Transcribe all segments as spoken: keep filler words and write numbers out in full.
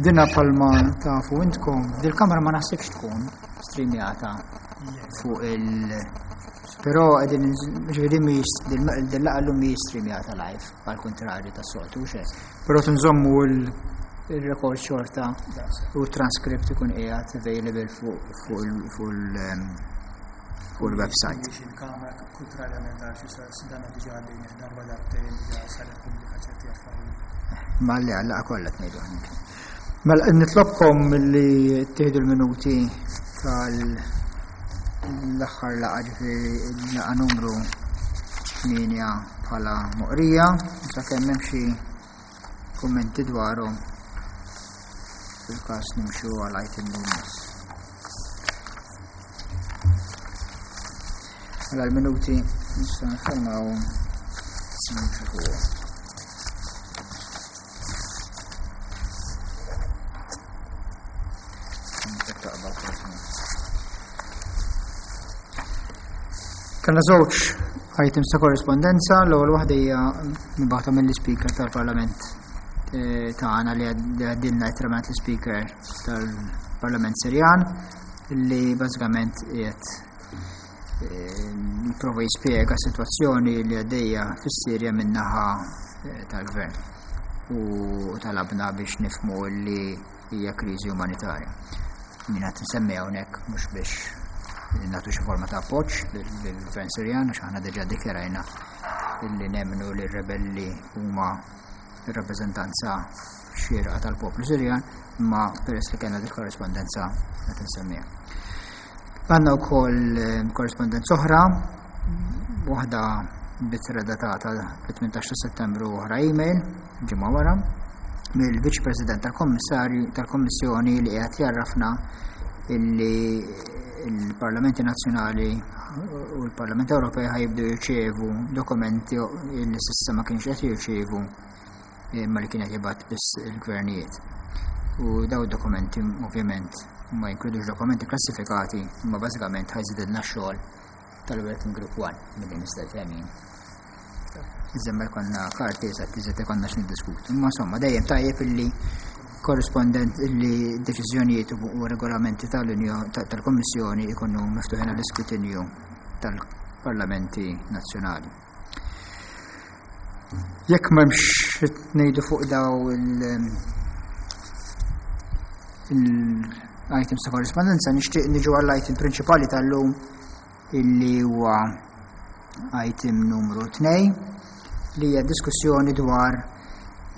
Dina palma tafu intkom, dil-kamera ma naħsibx tkun streamjata fuq il- Però qegħdin ġifieri mhijiex dil-laqgħa llum mhijiex streamjata live, għal kontrarju tas-soltu xejn. Però tinżommu il-record xorta u transcript ikun qiegħed available fuq fuq il- fuq il-website. Il-kamera kontrarjament għal xi dana diġà għaddejn darba darbtejn diġà saret pubblika ċerti affarijiet. Ma li għalla kollha tnejdu. Mela nitlobkom li tieħdu l-minuti tal l-aħħar laqgħa ġifieri laqgħa numru tmienja bħala moqrija, sakemm hemm xi kummenti dwarhom fil-każ nimxu għal item li jmiss. Mela l-minuti nistgħu nfirmawhom nimxu fuqhom. Kellna żewġ items ta' korrespondenza, l-ewwel waħda hija mibgħuta mill-Speaker tal-Parlament eh, tagħna li għaddilna ittra l-Speaker tal-Parlament Sirjan li bażikament qiegħed eh, jipprova jispjega s-sitwazzjoni li għaddejja fis-Sirja min-naħa eh, tal-Gvern u talabna biex nifhmu li hija kriżi umanitarja. Min qed nsemmi hawnhekk mhux biex nagħtu xi forma ta' appoġġ lill-Gvern Sirjan għax aħna diġà ddikjarajna illi nemmnu li r-rebelli huma r-rappreżentanza xierqa tal-poplu Sirjan, imma peress li kellna dik korrespondenza qed nsemmiha. Għandna wkoll eh, korrespondenza oħra, waħda b'ittra datata fit-tmintax ta' Settembru u oħra email ġimgħa wara mill-Viċ President tal-Kommissarju tal-Kommissjoni li qiegħed jarrafna illi il-Parlamenti Nazzjonali u l-Parlament Ewropej ħajibdu jirċievu dokumenti li s'issa ma kienx qed jirċievu imma li kienet jibgħat biss il-gvernijiet. U daw dokumenti ovvjament ma jinkludux dokumenti klassifikati, imma bażikament ħajżidilna x-xogħol tal-Working Group one milli nista' jfehmin. Iżda ma jkollna karti eżatt iżda jkollna x'niddiskutu. Imma insomma dejjem tajjeb illi korrispondent illi deċiżjonijiet u regolamenti tal-Unjoni tal-Kommissjoni ikunu miftuħin għall-iskrutinju tal-Parlamenti Nazzjonali. Jekk m'hemmx ngħidu fuq daw il- il-items ta' korrispondenza, nixtieq niġu għall-item prinċipali tal-lum illi huwa item numru tnejn li hija diskussjoni dwar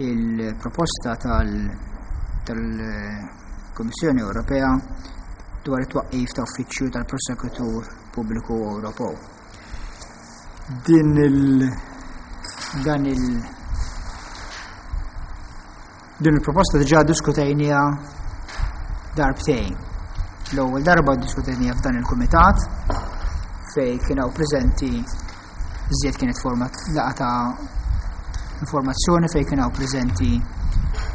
il-proposta tal-, tal-Kummissjoni Ewropea dwar it-twaqqif ta' uffiċċju tal-Prosekutur Pubbliku Ewropew. Din il-, dan il-, din il-proposta diġà diskutejniha darbtejn. L-ewwel darba diskutejniha f'dan il-kumitat fej kien hawn preżenti iżjed kienet forma laqgħa ta' informazzjoni fej kien hawn preżenti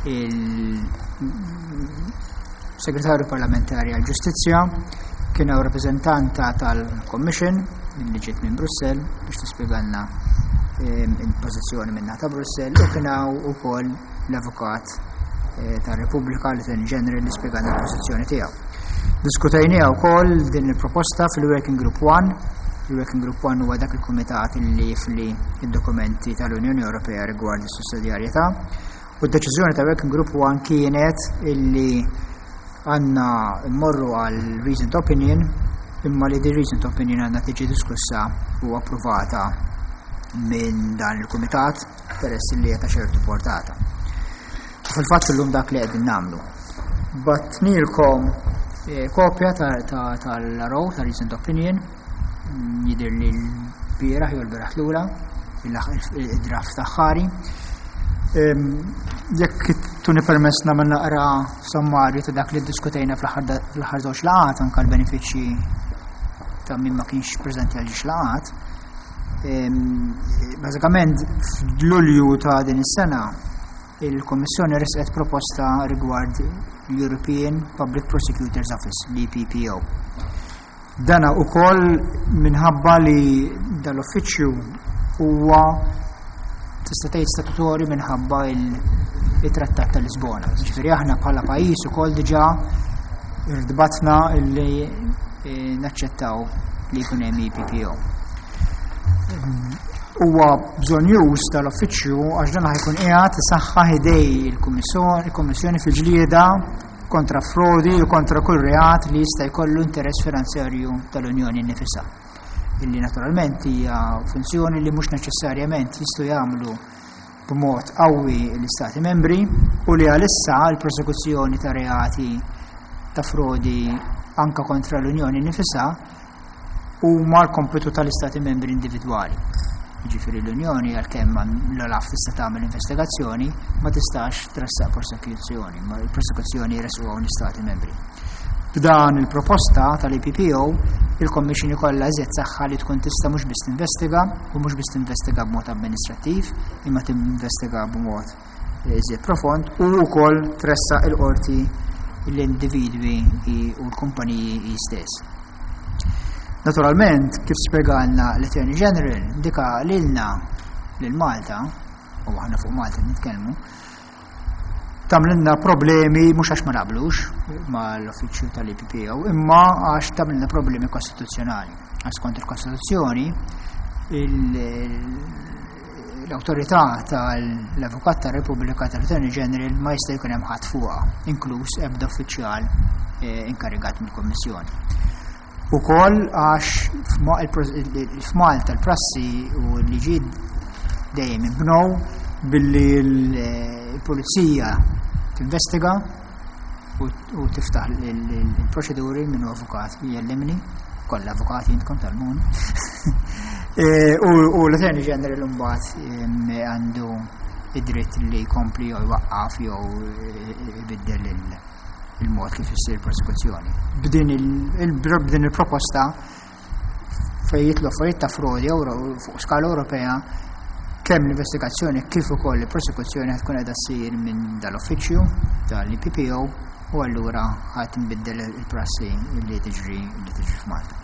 il-Segretarju Parlamentari għall-Ġustizzja, kien hawn rappreżentanta tal-Commission li ġiet minn Brussell biex tispjegalna, ehm, il-pożizzjoni minn ta' Brussell, u kien hawn ukoll l-Avukat, eh, tar-Repubblika, l-Attorney General, li spjegalna l-pożizzjoni tiegħu. Diskutejniha wkoll din il-proposta fil-Working Group one. Il-Working Group one huwa dak il-kumitat li jifli id-dokumenti tal-Unjoni Ewropea rigward is-sussidjarjetà. U d-deċiżjoni ta' Working Group one kienet illi għandna mmorru għal Reasoned Opinion, imma li di Reasoned Opinion għandna tiġi diskussa u approvata minn dan il-kumitat peress li hija ta' ċertu portata. U fil-fatt illum dak li qegħdin nagħmlu. Batnilkom, eh, kopja ta', ta', tal-R O, ta' Reasoned Opinion, jidher li l-bieraħ jew l-bieraħ lura, il-draft aħħari. Ehm, jekk tuni permess nagħmel naqra sommarju ta' dak li ddiskutejna fl-aħħar da-, fl-aħħar żewġ laqgħat, anke l-benefiċċji ta' min ma kienx preżenti għal ġiex laqgħat. Ehm, bażikament f'Lulju ta' din is-sena il-Kommissjoni resqet proposta rigward l-European Public Prosecutor's Office, l-E P P O. Dana ukoll minħabba li dal-uffiċċju huwa tista' tgħid statutorju minħabba il-, it-Trattat ta' Lisbona. Ġifieri aħna bħala pajjiż ukoll diġà irtbatna illi eh, naċċettaw li jkun hemm E P P O. Huwa bżonnjuż tal-uffiċċju għax dan ħa jkun qiegħed isaħħaħ idej il-Kummissjoni fil-ġlieda kontra frodi u kontra kull reat li jista' jkollu interess finanzjarju tal-Unjoni nnifisha. Illi naturalment hija funzjoni li mhux neċessarjament jistgħu jagħmlu b'mod qawwi l-Istati membri u li għalissa l-prosekuzzjoni ta' reati ta' frodi anka kontra l-Unjoni nnifisha huma l-kompitu tal-Istati membri individwali. Ġifieri l-Unjoni, għalkemm l-OLAF tista' tagħmel investigazzjoni, ma tistax tressaq prosekuzzjoni, ma l-prosekuzzjoni jressquha l-Istati membri. B'dan il-proposta tal-E P P O, il-Commission ikollha iżjed saħħa li tkun tista' mhux biss tinvestiga u mhux biss tinvestiga b'mod amministrattiv, imma tinvestiga b'mod iżjed profond u wkoll tressaq il-qorti l-individwi u l-kumpaniji stess. Naturalment, kif spjegalna l-Attorney General, dika lilna lil Malta, u aħna fuq Malta nitkellmu, tagħmlilna problemi mhux għax ma naqblux mal-uffiċċju tal-E P P O, imma għax tagħmlilna problemi kostituzzjonali. Għax skont il-Kostituzzjoni, l-autorità tal-Avukat tar-Repubblika, tal-Attorney General, ma jista' jkun hemm ħadd fuqha, inkluż ebda uffiċjal eh, inkarigat mill-Kommissjoni. Ukoll għax f'Malta l-prassi u l-liġijiet dejjem inbnew billi l-pulizija tinvestiga u tiftaħ il-proċeduri. Minnu avukat jellimni, kollha avukati intkom tal-mun. E, u l-Attorney General mbagħad għandu id-dritt li jkompli jew jwaqqaf jew ibiddel il-mod kif issir prosekuzzjoni. B'din il-proposta, fejn jidħlu affarijiet ta' frodi fuq skala Ewropea, kemm l-investigazzjoni kif ukoll il-prosekuzzjoni tkun qiegħda ssir minn dal-uffiċċju tal-E P P O u allura ħa tinbiddel il-prassi li tiġri li tiġri f'Malta.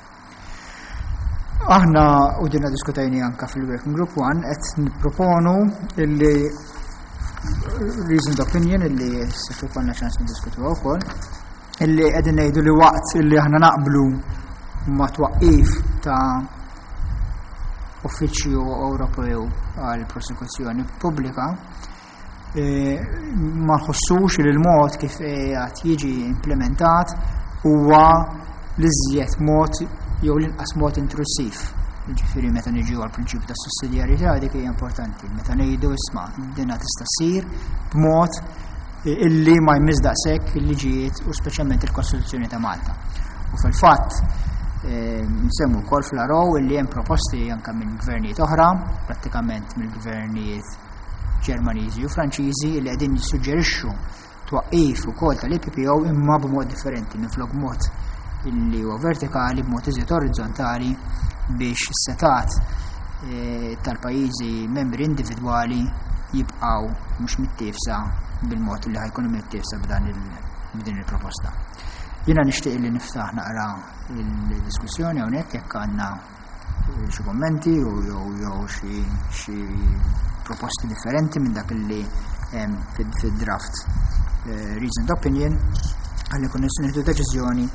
Aħna, u dinna diskutajni anka fil-Working Group one, qed nipproponu illi reasoned opinion illi se konna ċans niddiskutu wkoll, illi qegħdin ngħidu li waqt illi aħna naqblu ma' twaqqif ta' uffiċċju Ewropew għal prosekuzzjoni pubblika, e, ma nħossux li l-mod kif qiegħed jiġi implementat huwa l-iżjed mod jew l-inqas mod intrusiv. Ġifieri meta niġu għal prinċipju ta' sussidjarjetà, dik hija importanti. Meta ngħidu, isma', dina tista' ssir b'mod illi ma jmiss daqshekk il-liġijiet u speċjalment il-Kostituzzjoni ta' Malta. U fil-fatt eh, nsemmu wkoll fl-R O illi hemm proposti anke minn gvernijiet oħra, prattikament mill-gvernijiet Ġermaniżi u Franċiżi, li qegħdin jissuġġerixxu twaqqif ukoll tal-E P P O imma b'mod differenti, minflok mod illi huwa vertikali, b'mod iżjed orizzontali, biex is-setgħat eh, tal-pajjiżi membri individwali jibqaw mhux mittiefsa bil-mod li ħa jkunu mittiefsa b'dan b'din il-proposta. Jiena nixtieq li niftaħ naqra il-diskussjoni hawnhekk jekk għandna eh, xi kommenti u jew jew xi xi proposti differenti minn dak li hemm fid-draft eh, reasoned opinion, ħalli nkunu nistgħu nieħdu deċiżjoni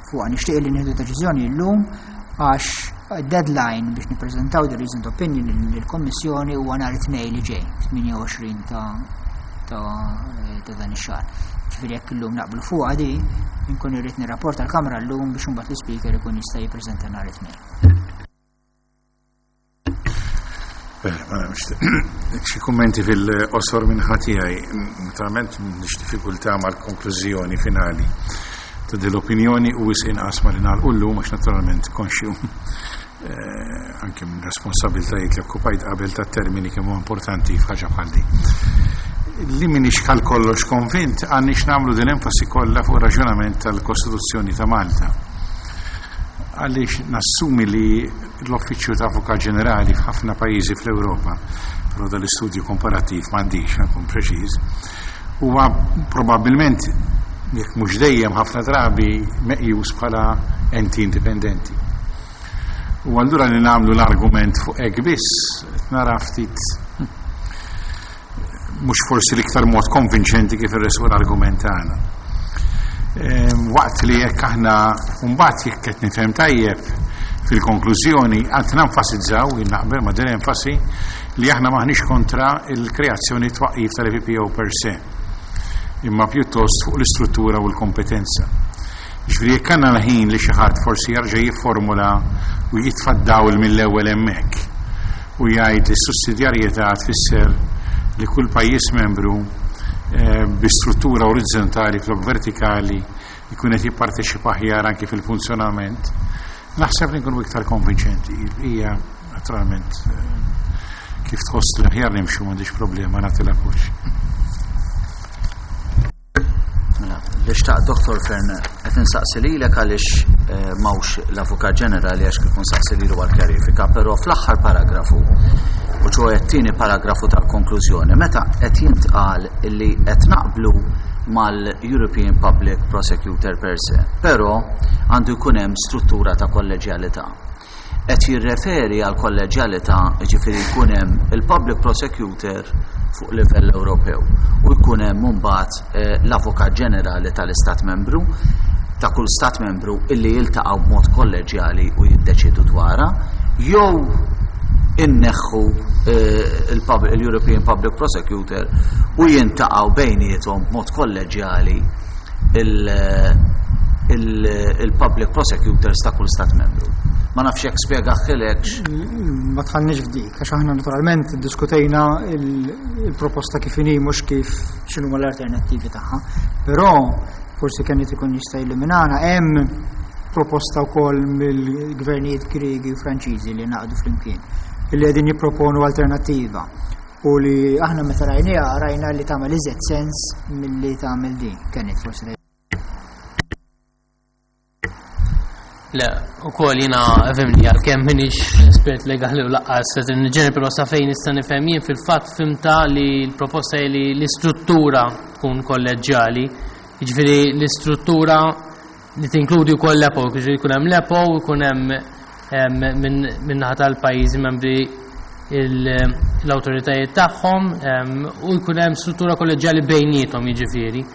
fuq. Nixtieq li nieħdu deċiżjoni llum għax deadline biex nippreżentaw the reasoned opinion lill-Kommissjoni huwa nhar it-Tnejn li ġej, tmienja u għoxrin ta' ta' ta' dan ix-xahar. Ġifieri jekk illum naqblu fuq di, inkun irrid nirrapporta l-Kamra llum biex imbagħad l-Ispeaker ikun jista' jippreżenta nhar it-Tnejn. Bene, ma nafx, xi kummenti fil-qosor minn ħatijaj. Naturalment m'għandix diffikultà mal-konklużjoni finali ta' dell-opinjoni u wisq inqas ma li nagħlqu llum, għax naturalment konxju eh, anke minn responsabbiltajiet li okkupajt qabel ta' termini kemm huwa importanti f'ħaġa bħal di. Li m'iniex għal kollox konvint għandniex nagħmlu din enfasi kollha fuq raġunament tal-Kostituzzjoni ta' Malta. Għaliex nassumi li l-Uffiċċju ta' Avukat Ġenerali f'ħafna pajjiżi fl-Ewropa, però dal-istudju komparattiv m'għandix, nkun preċiż, huwa probabbilment, jekk mhux dejjem, ħafna drabi meqjus bħala enti indipendenti. U allura li nagħmlu l-argument fuq hekk biss nara ftit Mhux forsi l-iktar mod konvinċenti kif irresqu l-argument tagħna. Waqt li jekk aħna mbagħad jekk qed nifhem tajjeb fil-konklużjoni għad nenfasizzaw, naqbel ma' din enfasi, li aħna maħniex kontra il-kreazzjoni twaqqif tal-E P P O per se, imma pjuttost fuq l-istruttura u l-kompetenza. Ġifieri jekk għandna l-ħin li xi ħadd forsi jerġa' jifformula u jitfa' dawl mill-ewwel hemmhekk u jgħid li s-sussidjarjetà tfisser li kull pajjiż membru eh, bi struttura orizzontali flok vertikali jkun qed jipparteċipa aħjar anki fil-funzjonament, naħseb li nkunu iktar konvinċenti. Hija naturalment eh, kif tħoss li aħjar nimxu, m'għandix problema nagħti l-appoġġ. Mela, li xtaq Doktor Fearne qed insaqsi lilek għaliex eh, m'hawnx l-Avukat Ġenerali, għax kif nsaqsi lilu għal kjarifika, però fl-aħħar paragrafu, u ċoè t-tieni paragrafu tal-konklużjoni, meta qed jintqal illi qed naqblu mal-European Public Prosecutor per se, però għandu jkun hemm struttura ta' kolleġjalità. Qed jirreferi għal kolleġjalità, ġifieri jkun hemm il-Public Prosecutor fuq livell Ewropew u jkun hemm mbagħad eh, l-Avukat Ġenerali tal-Istat Membru, ta' kull Stat Membru, illi jiltaqgħu b'mod kolleġjali u jiddeċidu dwarha, jew inneħħu eh, il-European Public Prosecutor u jiltaqgħu bejniethom b'mod kolleġjali il-Public Prosecutors ta' kull Stat Membru? Ma nafx jekk spjegajtilekx. Ma dħalniex f'dik, għax aħna naturalment diskutejna il-proposta kif inhi, mhux kif x'inhuma l-alternattivi tagħha. Però forsi kien ikun jista' jilluminana, hemm proposta wkoll mill-gvernijiet Griegi u Franċiżi li ngħaqdu flimkien, illi qegħdin jipproponu alternattiva u li aħna meta rajniha rajna li tagħmel iżjed sens milli tagħmel din. Kienet forsi Le, u koll jiena fhimni, għalkemm m'iniex espert legali u lanqas ġeneri, però sa fejn nista' nifhem jien, fil-fatt fhimtha li l-proposta li l-istruttura tkun kolleġjali, jiġifieri l-istruttura li tinkludi wkoll l-E P P O, jiġifieri jkun hemm l-E P P O, jkun hemm min-naħa tal-pajjiżi membri l-awtoritajiet tagħhom u jkun hemm struttura kolleġjali bejniethom jiġifieri.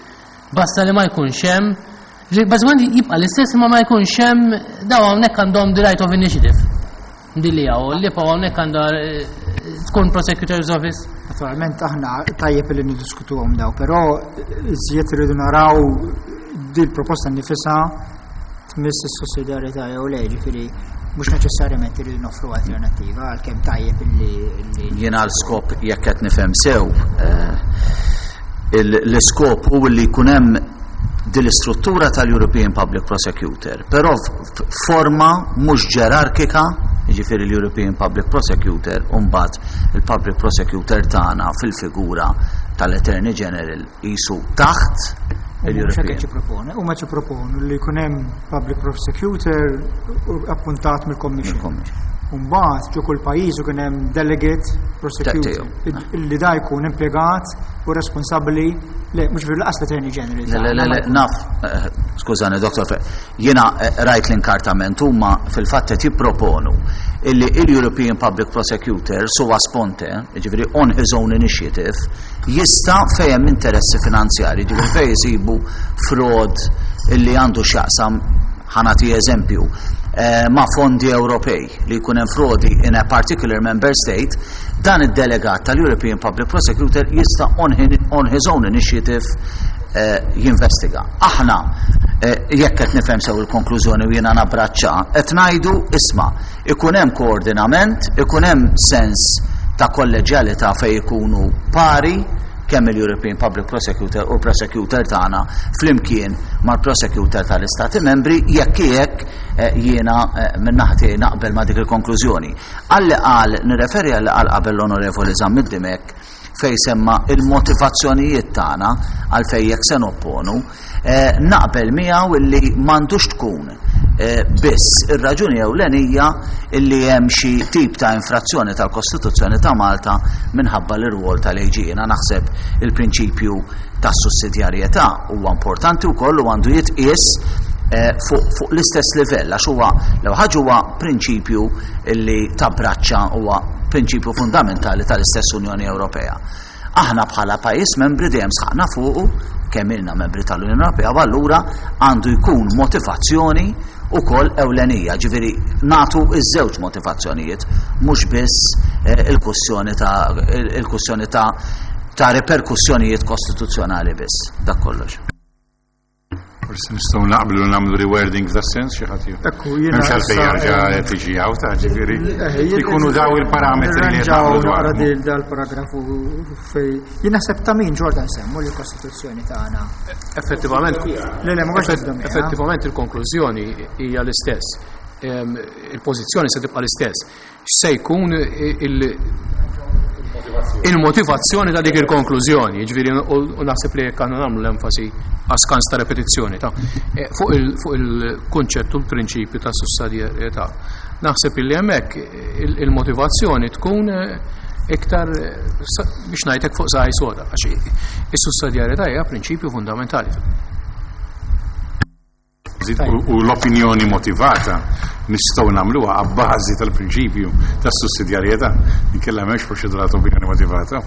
Basta li ma jkunx hemm. Bażikament jibqa' l-istess, ma ma jkunx hemm daw hawnhekk għandhom the right of initiative. Dilli hawn, l-E P P O hawnhekk għandha eh, tkun Prosecutor's Office. Naturalment aħna tajjeb li niddiskutuhom daw, però iżjed irridu naraw di l-proposta nifisha tmiss is-sussidjarjetà jew le, ġifieri mhux neċessarjament irridu noffru alternattiva, għalkemm tajjeb illi Jiena l-skop, jekk qed nifhem sew, eh, l-iskop hu li jkun hemm din l-istruttura tal-European Public Prosecutor, però forma mhux ġerarkika, jiġifieri l-European Public Prosecutor u mbagħad il-Public Prosecutor tagħna fil-figura tal-Attorney General jisu taħt il-European. Jipproponu, huma jipproponu li jkun hemm Public Prosecutor appuntat mill-Commission. Mbagħad ġo kull pajjiż ikun hemm delegate prosecutor illi da jkun impjegat u responsabbli, le mhux fil lanqas l-Attorney General. Le, le, le, naf, eh, skużani, Doktor, jiena eh, rajt l-inkartament, huma fil-fatt qed jipproponu illi il-European Public Prosecutor sua sponte, ġifieri on his own initiative, jista' fejn hemm interessi finanzjari, ġifieri fejn jisibu fraud illi għandu x'jaqsam, ħa nagħti eżempju, eh, ma' fondi Ewropej, li jkun hemm frodi in a particular member state, dan id-delegat tal-European Public Prosecutor jista' on, on his own initiative eh, jinvestiga. Aħna, eh, jekk qed nifhem sew il-konklużjoni u jiena nabbraċċa, qed ngħidu isma' ikun hemm koordinament, ikun hemm sens ta' kolleġjalità fejn ikunu pari kemm il-European Public Prosecutor u l-Prosecutor tagħna flimkien mal-Prosecutor tal-Istati Membri, jekk jekk eh, jiena eh, minn naħa tiegħi naqbel ma' dik il-konklużjoni. Għalli qal, nirreferi għalli qal qabel l-Onorevoli Zammit Dimech fej semma il-motivazzjonijiet tagħna għal fej jekk se nopponu, eh, naqbel miegħu illi m'għandux tkun eh, biss ir-raġuni ewlenija illi hemm xi tip ta' infrazzjoni tal-Kostituzzjoni ta' Malta minħabba l-irwol tal-A G. Jiena naħseb il-prinċipju tas sussidjarjetà huwa importanti wkoll u għandu jitqies eh, fuq fu l-istess livell, għax huwa l ħaġa huwa prinċipju illi tabbraċċa, huwa prinċipju fundamentali tal-istess Unjoni Ewropea. Aħna bħala pajjiż membri dejjem sħaqna fuqu kemm ilna membri tal-Unjoni Ewropea, u allura għandu jkun motivazzjoni ukoll ewlenija, ġifieri nagħtu iż-żewġ motivazzjonijiet, mhux biss eh, il-kwestjoni ta' il-kwestjoni ta' ta' reperkussjonijiet kostituzzjonali biss, dak kollox. Forsi nistgħu naqblu nagħmlu rewording f'da sens xi ħadd. Ekku, jiena M'hemmx għalfejn issa, jarġa' eh, tiġi hawn ta' ġifieri. Eh, jien- Ikunu daw il-parametri li qed Nirranġaw naqblu naqra dwarhom. dil dal-paragrafu fej. Jien naħseb ta' min Jordan semmu li l-Kostituzzjoni tagħna. Effettivament, Le, le, ma kontx effett- nibda miha. effettivament il-konklużjoni hija l-istess. Em, Il-pożizzjoni se tibqa' l-istess. X'se jkun il- il-motivazzjoni ta' dik il-konklużjoni, ġifieri u u naħseb li jekk għandna nagħmlu l-enfasi għaskans ta' repetizzjoni ta' eh, fuq il- fuq il-kunċett u l-prinċipju ta' sussidjarjetà. Naħseb illi hemmhekk il- il-motivazzjoni tkun eh, iktar eh, sa- biex ngħidlek fuq saqaj soda, għax is-sussidjarjetà hija prinċipju fundamentali. U u l-opinjoni motivata nistgħu nagħmluha abbażi tal-prinċipju tas-sussidjarjetà. Inkella m'hemmx proċedura ta' opinjoni motivata.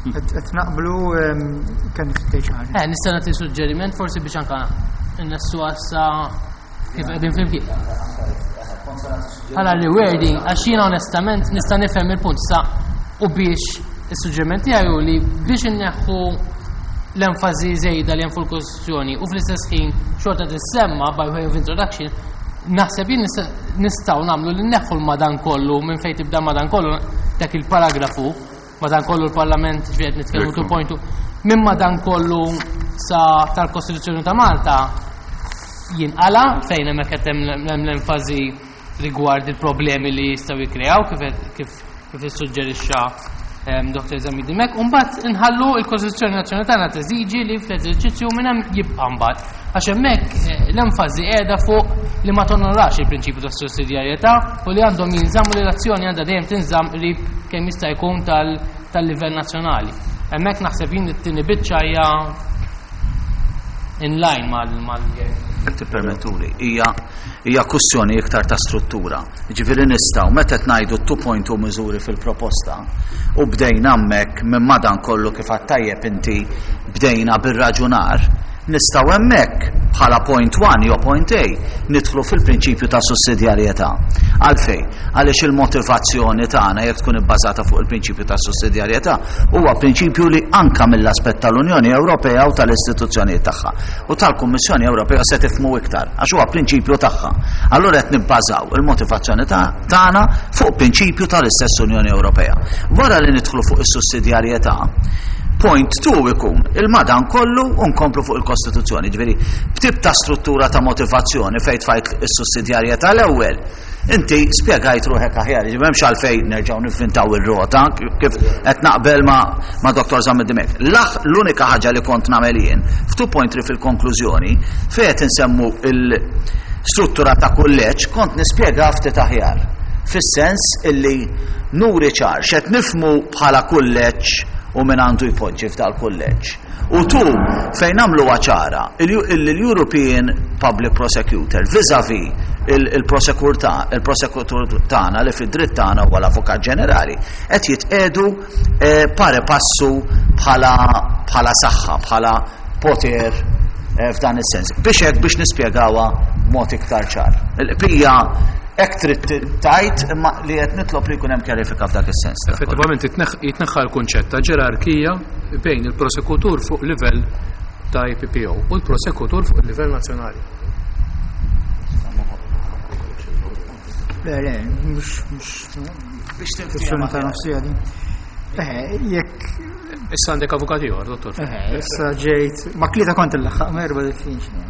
Qed qed naqblu em, kemm tgħid xi ħaġa. Eh, nista' nagħti suġġeriment forsi biex anka nnessu għassa kif qegħdin flimkien. Bħala rewording, għax jiena onestament nista' nifhem il-punt sa u biex is-suġġeriment tiegħi hu li biex inneħħu l-enfasi żejda li hemm fuq il-Kostituzzjoni u fl-istess ħin xorta tissemma by way of introduction, naħseb jien nista- nistgħu nagħmlu li nneħħu l-madan kollu minn fejn tibda madan kollu dak il-paragrafu, madan kollu l-Parlament ġifieri nitkellmu Ekku. two point two, minn madan kollu sa tal-Kostituzzjoni ta' Malta jinqala fejn hemmhekk qed hemm hemm l-enfasi rigward il-problemi li jistgħu jikkreaw kif kif kif issuġġerixxa em, Doktor Zammit Dimech, u mbagħad inħallu l-Kostituzzjoni Nazzjonali tagħna teżiġi li fl-eżerċizzju minn hemm jibqa' mbagħad. Għax hemmhekk eh, l-enfasi qiegħda fuq li ma tonorax il-prinċipju tas sussidjarjetà u li għandhom jinżammu li l-azzjoni għandha dejjem tinżamm qrib kemm jista' jkun tal- tal-livell nazzjonali. Hemmhekk naħseb jien it-tieni biċċa hija in line mal mal Jekk tippermettuli, hija hija kwestjoni iktar ta' struttura. Ġifieri nistgħu meta qed ngħidu two point two miżuri fil-proposta u bdejna hemmhekk minn madan kollu kif għedt tajjeb inti bdejna bir-raġunar, nistgħu hemmhekk bħala point one jew point A nidħlu fil-prinċipju ta' sussidjarjetà. Għalfejn? Għaliex il-motivazzjoni tagħna jekk tkun ibbażata fuq il-prinċipju ta' sussidjarjetà huwa prinċipju li anka mill-aspett tal-Unjoni Ewropea u tal-istituzzjonijiet tagħha u tal-Kummissjoni Ewropea se tifhmu iktar għax huwa prinċipju tagħha. Allura qed nibbażaw il-motivazzjoni ta' tagħna fuq prinċipju tal-istess Unjoni Ewropea. Wara li nidħlu fuq is-sussidjarjetà, point two ikun il-madan kollu u nkomplu fuq il-Kostituzzjoni. Ġifieri, b'tip ta' struttura ta' motivazzjoni fejn tfajt is-sussidjarjetà l-ewwel, inti spjegajt ruħek aħjar, ġifieri m'hemmx għalfejn nerġgħu nivvintaw ir-rota kif qed naqbel ma' ma' Doktor Zammit Dimech. Laħ l-unika ħaġa li kont nagħmel jien f'two point three fil-konklużjoni fejn qed insemmu il-struttura ta' kulleġġ kont nispjega ftit aħjar. Fis-sens illi nuri ċar x'qed nifhmu bħala kulleġġ u min għandu jpoġġi f'dal kulleġġ. U tu fejn nagħmlu ċara il-European Public Prosecutor vis-a-vis il-prosekutur il-prosekutur tagħna li fid-dritt tagħna huwa l-Avukat Ġenerali qed jitqedu eh, pari passu bħala bħala saħħa, bħala poter eh, f'dan is-sens. Biex hekk biex nispjegawha b'mod iktar ċar. Il-qbija hekk trid tajt imma li qed nitlob li jkun hemm kjarifika f'dak is-sens. Effettivament jitneħ- jitneħħa l-kunċett ta' ġerarkija bejn il-prosekutur fuq livell ta' E P P O u l-prosekutur fuq il-livell nazzjonali. Le, le, mhux mhux Biex kwestjoni ta' nofsija din. Eh, jekk Issa għandek avukat ieħor, dottor. eh, issa ġejt ma tlieta kont il-laħħaq, ma erba' diffiċli.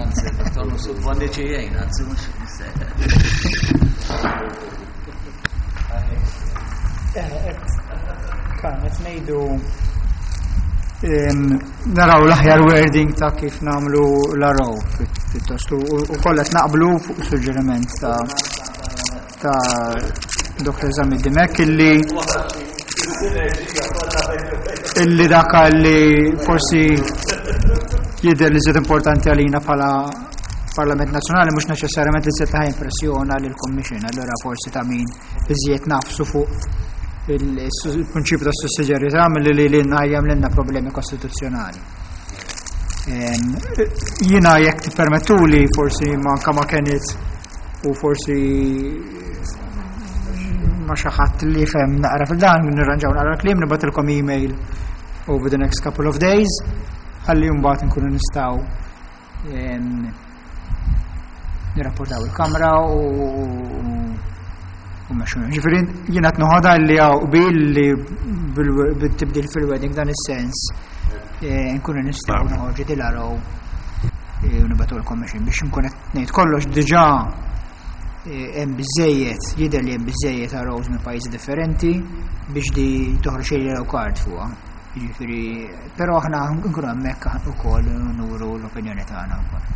Anzi, dottor, Bonnici jgħin, anzi mhux Eh, Kan, qed ngħidu em, naraw l-aħjar wording ta' kif nagħmlu l-araw pjuttost u u kollha qed naqblu fuq suġġeriment ta' ta' Doktor Zammit Dimech illi illi dak li forsi jidher li żied importanti għalina bħala Parlament Nazzjonali mhux neċessarjament li żied ta' impressjona lil Commission, allura forsi ta' min iżjed nafsu fuq il-prinċipju ta' sussidjarjetà milli li lilna jagħmlilna problemi kostituzzjonali. Jiena jekk tippermettuli forsi manka ma kienet u forsi ma xi ħadd li fem naqra fil-dan, nirranġaw naqra kliem, nibgħatilkom email over the next couple of days, ħalli mbagħad nkunu nistgħu nirrapportaw il-Kamra u u mexxu. Ġifieri jiena qed noħodha li hawn qbil li bil-tibdil fil-wording dan is-sens nkunu nistgħu noħorġu dil-R O u nibgħatulkom mexin biex nkun qed ngħid kollox diġà hemm biżejjed, jidher li hemm biżejjed R Os minn pajjiżi differenti biex di toħroġ yellow card fuqha. Jiġifieri, però aħna nkunu hemmhekk ukoll nuru l-opinjoni tagħna wkoll.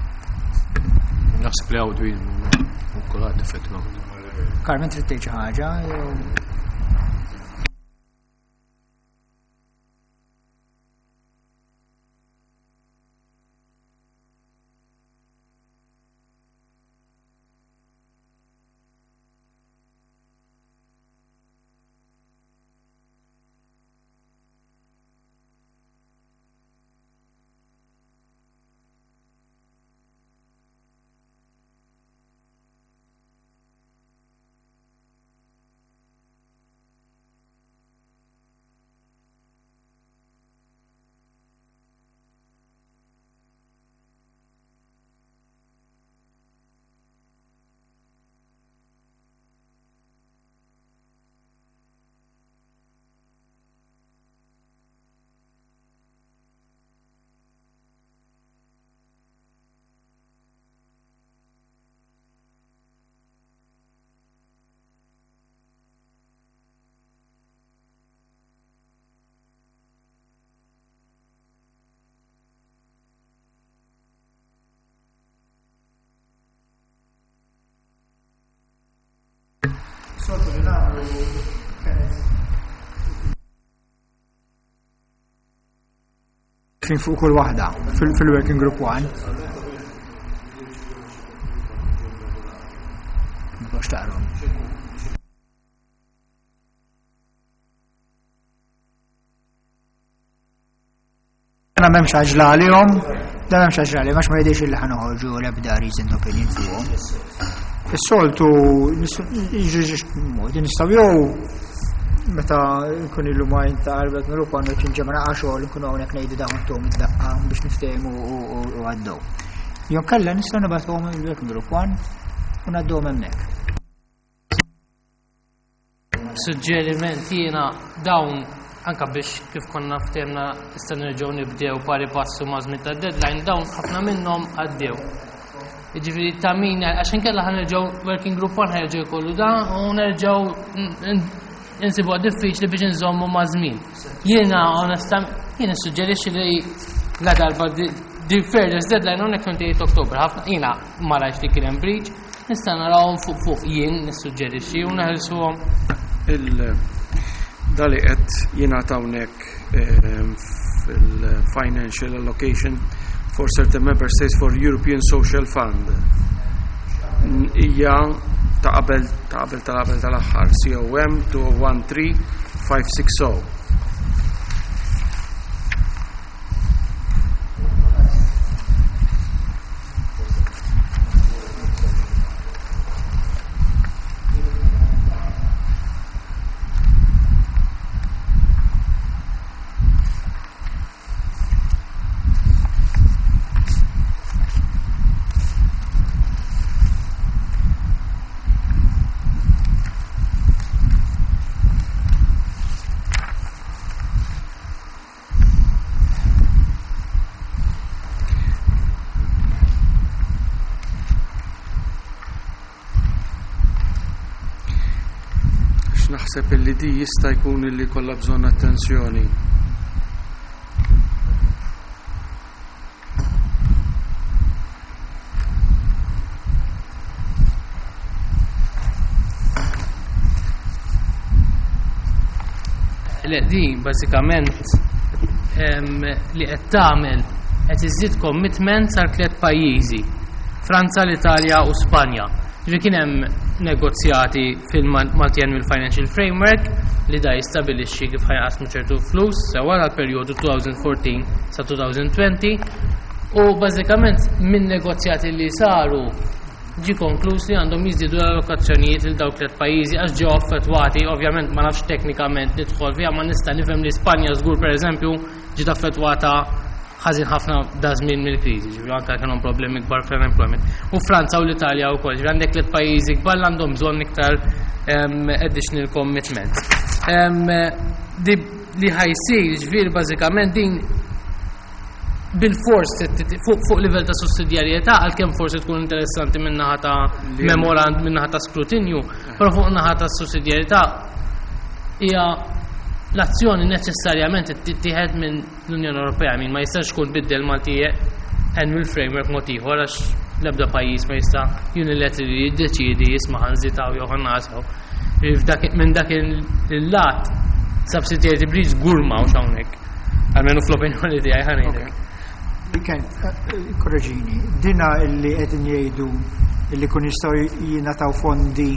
Naħseb li hawn dwin u kulħadd effettivament. Carmen, trid tgħid xi ħaġa? Jew- Soltu li nagħmlu kienet fin fuq kull waħda fil-working group one. Mhux taqrom. Għana m'hemmx għaġla għalihom, da m'hemmx għaġla għalihom, għax ma jidhirx illi ħa noħorġu l-ebda reasoned opinion fuqhom. Is-soltu modi nistgħu jew meta nkun ilu ma jinta' mill għandu ċinġemma naqa' xogħol nkunu hawnhekk ngħidu dawn tom id-daqqa biex niftehmu u għaddew. Jew kellha nistgħu nibgħatuhom il-working group one u ngħadduhom hemmhekk. Suġġeriment jiena dawn anka biex kif konna ftehmna issa nerġgħu nibdew pari passu ma' żmien tad-deadline, dawn ħafna minnhom għaddew. Jiġifieri ta' min għax inkella ħa nerġgħu working group one ħa jerġgħu jkollu dan u nerġgħu insibuha diffiċli biex inżommu ma' żmien. Jiena onesta jiena suġġerixxi li la darba the fairest deadline hawnhekk twenty-eight October, ħafna jiena ma rajtx li kien hemm breach, nista' narawhom fuq fuq jien nissuġġerixxi u neħelsuhom. Il dali qed jingħata hawnhekk fil-financial allocation for certain member states for European Social Fund. Hija ta' qabel ta' qabel ta' qabel tal-aħħar C O M two one three five six zero. Naħseb illi di jista' jkun illi kollha bżonn attenzjoni. Le, din bażikament em, li qed tagħmel qed iżid commitment sal tliet pajjiżi: Franza, l-Italja u Spanja. Ġifieri kien hemm negozjati fil-Multi-Annual Financial Framework li da jistabilixxi kif ħa jinqasmu ċertu flus sewa għal perjodu elfejn u erbatax sa elfejn u għoxrin, u bażikament minn negozjati li saru ġi konkluż li għandhom jiżdiedu l-allokazzjonijiet il dawk tliet pajjiżi għax ġew affettwati. Ovvjament ma nafx teknikament nidħol fiha, ma nista' nifhem li Spanja żgur, pereżempju, ġiet affettwata ħażin ħafna da żmien mill-kriżi, ġifieri anke kellhom problemi kbar fl-unemployment. U Franza u l-Italja wkoll, ġifieri għandek tliet pajjiżi kbar li għandhom bżonn iktar additional commitment. Li ħa jsir, ġifieri bażikament din bil-fors fuq livell ta' sussidjarjetà, għalkemm forsi tkun interessanti min-naħa ta' memorand, min-naħa ta' skrutinju, però fuq naħa ta' sussidjarjetà hija l-azzjoni neċessarjament tittieħed minn l-Unjoni Ewropea, min ma jistax tkun biddel Multi Annual Framework mod ieħor, għax l-ebda pajjiż ma jista' unilaterally jiddeċiedi jisma' ħa nżidaw jew ħa nnaqqsu. Minn dak il-lat subsidiarity breach żgur m'hawnx hawnhekk. Almenu fl-opinjoni tiegħi ħa ngħidlek. Ken, korreġini, dina illi qed jgħidu illi kun jistgħu jingħataw fondi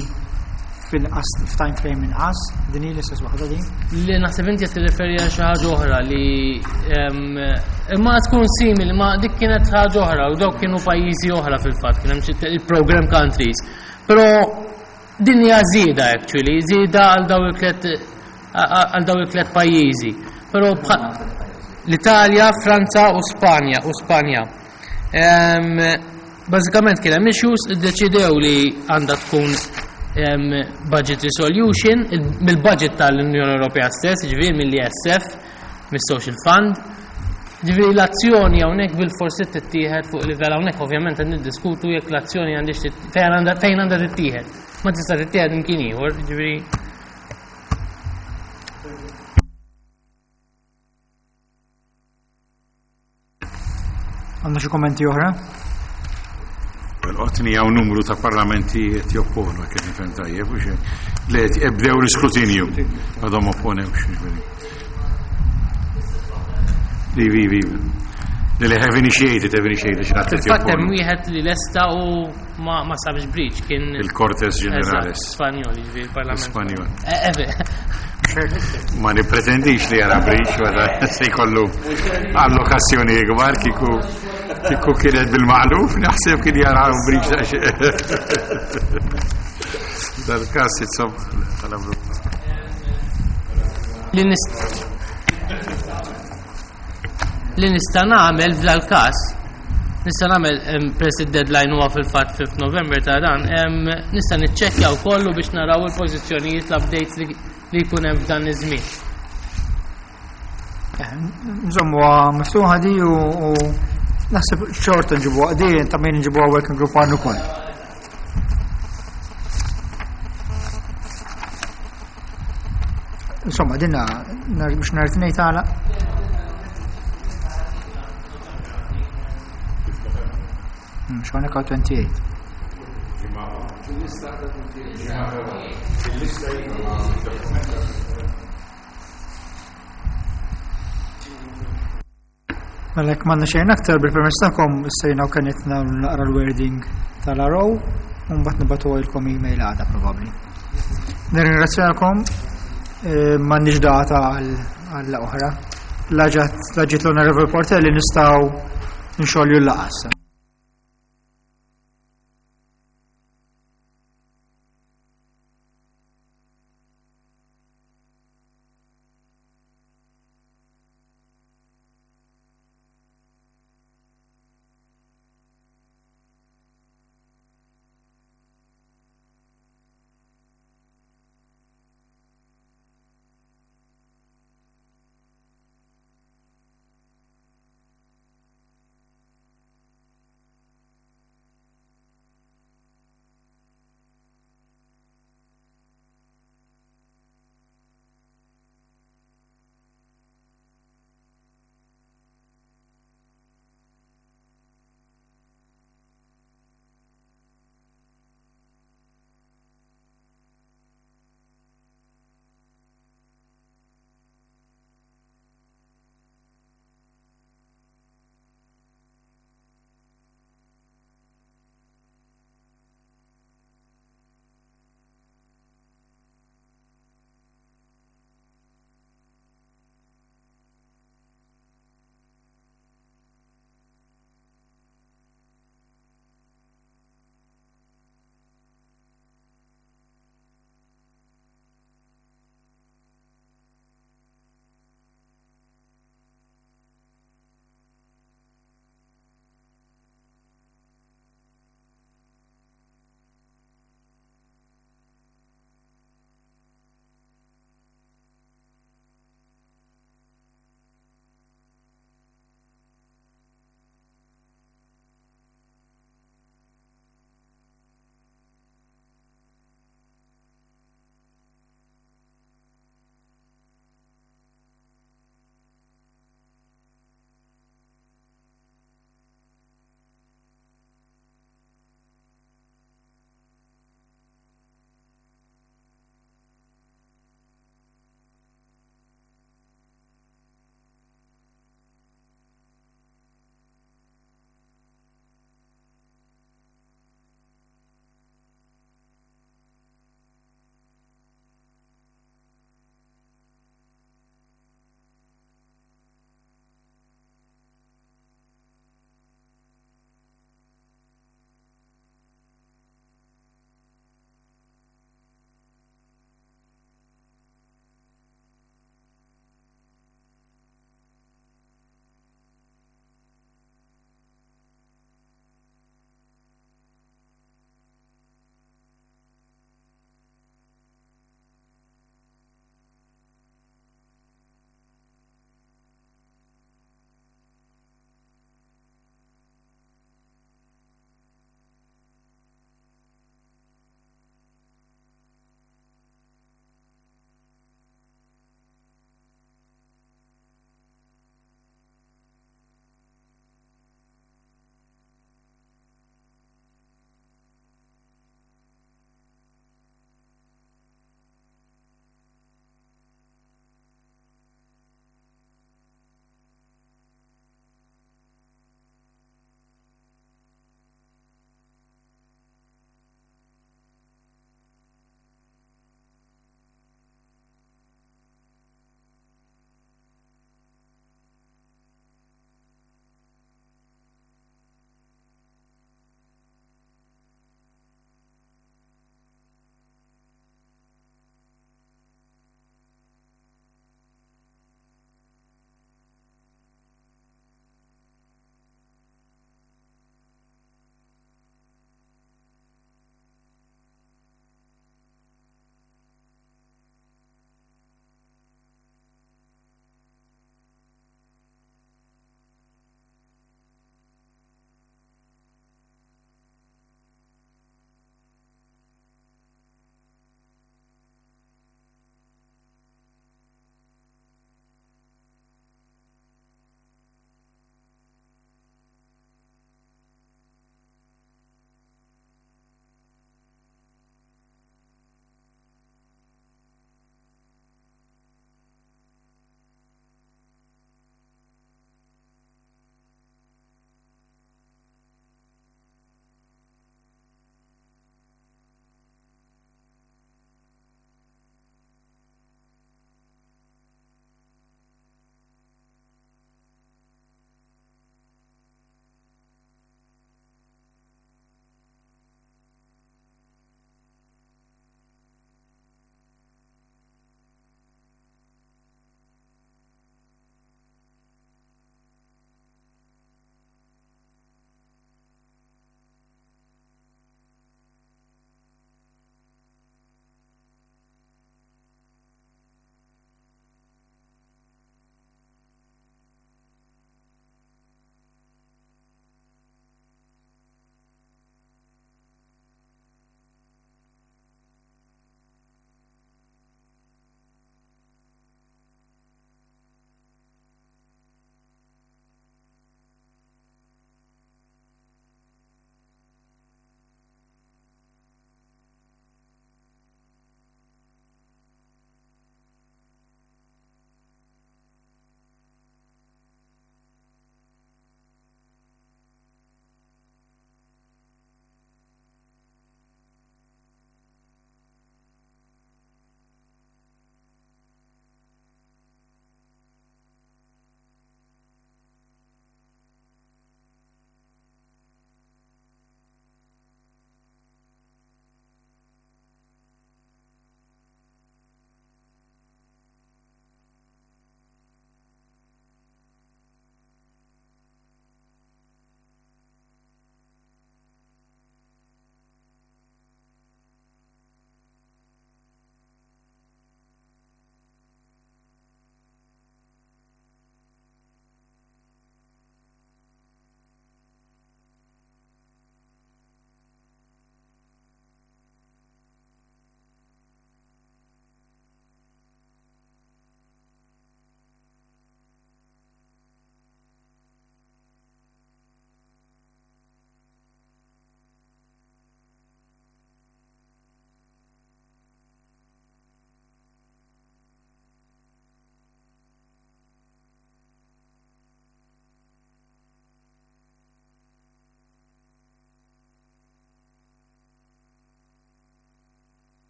fil-qas f'time frame inqas, din hi l-istess waħda din? Li naħseb inti qed tirreferi għal xi ħaġa oħra li imma tkun simili, ma dik kienet ħaġa oħra u dawk kienu pajjiżi oħra fil-fatt, kien hemm xi il-program countries. Però din hija żieda actually, żieda għal daw il-tliet għal daw il-tliet pajjiżi. Però l-Italja, Franza u Spanja u Spanja. Bażikament kien hemm issues, iddeċidew li għandha tkun budget resolution mill-budget tal-Unjoni Ewropea stess, ġifieri mill-E S F, mis-Social Fund. Ġifieri l-azzjoni hawnhekk bil-forsi tittieħed fuq livell hawnhekk, ovvjament qed niddiskutu jekk l-azzjoni għandix fejn għandha fejn għandha tittieħed. Ma tista' tittieħed imkien ieħor, ġifieri. Għandna xi kommenti oħra? Qotni hawn numru ta' parlamenti qed jopponu, kif nifhem tajjeb, u xejn. Le qed ebdew l-iskrutinju. Għadhom opponewx, ġifieri. Li vi vi. Li li have initiated, have initiated, xi ħadd qed Fil-fatt hemm jopponu. wieħed li lesta u ma ma sabx breach, kien Il-Cortes Generales. Eżatt, Spanjol, ġifieri il-Parlament. Spanjol. Eh, eh, Ma nipretendix li jara breach, wara se jkollu allokazzjoni ikbar. Kieku kieku kienet bil-maqluf, naħseb kien jara breach dal-każ, insomma, tal-Ewropa. Li nist li nista' nagħmel f'dal-każ, nista' nagħmel em, press deadline huwa fil-fatt fifth November ta' dan, em, nista' niċċekkja wkoll biex naraw il-pożizzjonijiet, l-updates li li jkun hemm f'dan iż-żmien. Nżommu miftuħa di u u naħseb xorta nġibu di ta' min nġibu working group għannu ukoll. Insomma, dinna nar- biex nhar it-Tnejn tagħlaq. X'hawnhekk għal tmienja u għoxrin. Il-lista. Mela jekk m'għandna xejn aktar, bil-permess tagħkom issejna u kienet naqra l-wording tal-R O u mbagħad nibagħtu email għada probabbli. Nirringrazzjakom, eh, m'għandniex data għal oħra. La ġiet l-Honorable Portelli nistgħu nxolju l-laqgħa.